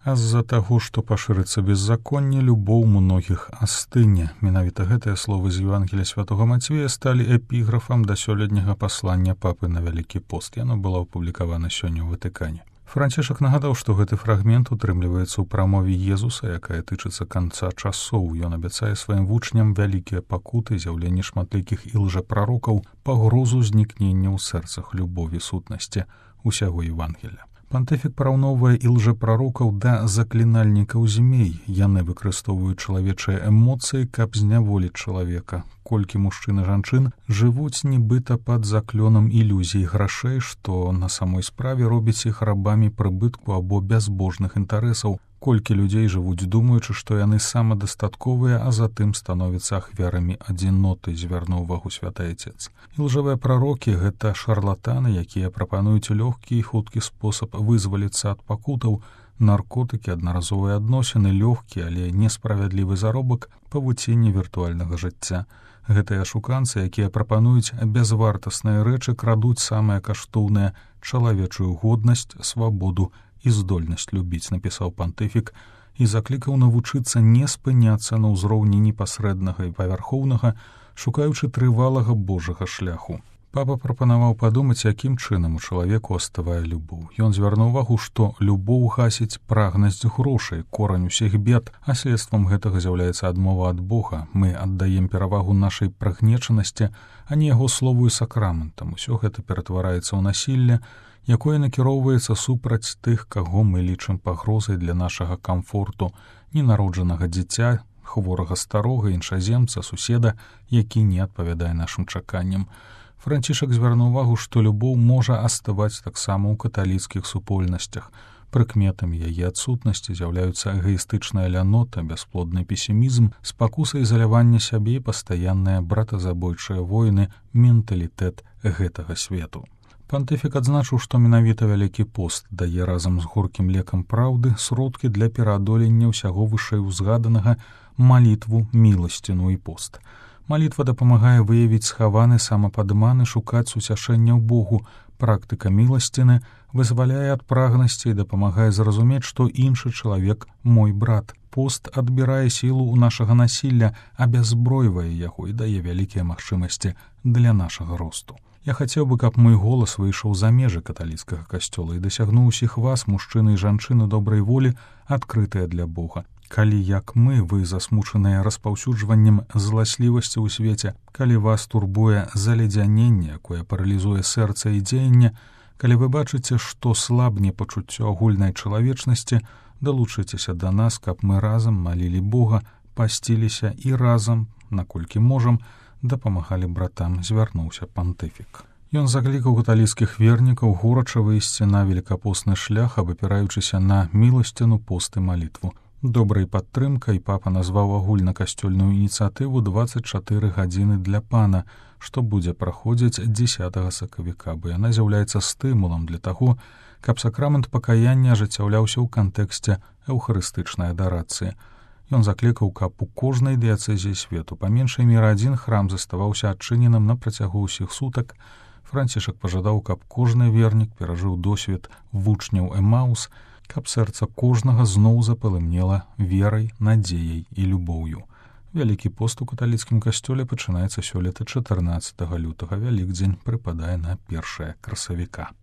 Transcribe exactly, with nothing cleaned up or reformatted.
А з-за таго, што пашырыцца беззаконне, любоў многіх астыне. Менавіта гэтыя словы з Евангелія святого Мацвея сталі эпіграфам да сёлетняга паслання папы на Вялікі пост. Яно было апублікавана сёння ў Ватыкане. Францішак нагадаў, што гэты фрагмент утрымліваецца ў прамове Езуса, якая тычыцца канца часоў. Ён абяцае сваім вучням вялікія пакуты, з'яўленне шматлікіх і лжапрарокаў, пагрозу знікнення ў сэрцах любові сутнасці усяго Евангелія. Пантыфік параўноўвае і лжапрарокаў да заклінальнікаў змей. Яны выкарыстоўваюць чалавечыя эмоцыі, каб зняволіць чалавека. Колькі мужчын і жанчын жывуць нібыта пад заклёнам ілюзій грашэй, што на самой справе робіць іх рабамі прыбытку або бязбожных інтарэсаў. Колькі людзей жывуць, думаючы, што яны самадастатковыя, а затым становяцца ахвярамі адзіноты, звярнуў увагу святы Отец. І лжавыя прарокі — гэта шарлатаны, якія прапануюць лёгкі і хуткі спосаб вызваліцца ад пакутаў, наркотыкі, аднаразовыя адносіны, лёгкі, але несправядлівы заробак, павуценне віртуальнага жыцця. Гэтыя ашуканцы, якія прапануюць бязвартасныя рэчы, крадуць самае каштоўнае — чалавечую годнасць, свабоду і здольнасць любіць, напісаў пантыфік, і заклікаў навучыцца не спыняцца на ўзроўні непасрэднага і павярхоўнага, шукаючы трывалага Божага шляху. Папа прапанаваў падумаць, якім чынам у чалавеку аставае любоў. Ён звярнуў увагу, што любоў гасіць прагнасць грошай, корань усіх бед, а следствам гэтага з'яўляецца адмова ад Бога. Мы аддаем перавагу нашай прагнечанасці, а не яго слову і сакраментам. Усё гэта ператвараецца ў насілле, якое накіроўваецца супраць тых, каго мы лічым пагрозай для нашага камфорту, ненароджанага дзіця, хворага старога, іншаземца, суседа, які не адпавядае нашым чаканням. Францішак звярнуў увагу, што любоў можа аставаць таксама ў каталіцкіх супольнасцях. Прыкметамі яе адсутнасці з'яўляюцца эгаістычная лянота, бясплодны песімізм, спакуса ізалявання сябе і пастаянныя братазабойчыя войны, менталітэт гэтага свету. Пантыфік адзначыў, што менавіта Вялікі пост дае разам з горкім лекам праўды сродкі для пераадолення ўсяго вышэй узгаданага, малітву, міласціну і пост. Малітва дапамагае выявіць схаваны самападман і шукаць суцяшэння ў Богу. Практыка міласціны вызваляе ад прагнасці і дапамагае зразумець, што іншы чалавек — мой брат. Пост адбірае сілу ў нашага насілля, абязбройвае яго і дае вялікія магчымасці для нашага росту. Я хацеў бы, каб мой голас выйшаў за межы каталіцкага касцёла і дасягнуў усіх вас, мужчыны і жанчыны добрай волі, адкрытыя для Бога. Калі, як мы, вы засмучаныя распаўсюджваннем зласлівасці ў свеце, калі вас турбуе заледзяненне, якое паралізуе сэрца і дзеянне, калі вы бачыце, што слабне пачуццё агульнай чалавечнасці, далучыцеся да нас, каб мы разам малілі Бога, пасціліся і разам, наколькі можам, дапамагалі братам, звярнуўся пантыфік. Ён заклікаў каталіцкіх вернікаў горача выйсці на велікапостны шлях, абапіраючыся на міласціну, пост і малітву. Добрай падтрымкай папа назваў агульнакасцёльную ініцыятыву дваццаць чатыры гадзіны для пана, што будзе праходзіць дзесятага сакавіка, бо яна з'яўляецца стымулам для таго, каб сакрамент пакаяння ажыццяўляўся ў кантэксце эўхарыстычнай адарацыі. Ён заклікаў, каб у кожнай дыяцэзіі свету па меншай меры адзін храм заставаўся адчыненым на працягу ўсіх сутак. Францішак пажадаў, каб кожны вернік перажыў досвед вучняў Эмаус, каб сэрца кожнага зноў запалымнела верай, надзеяй і любоўю. Вялікі пост у каталіцкім касцёле пачынаецца сёлета чатырнаццатага лютага. Вялікдзень прыпадае на першае красавіка.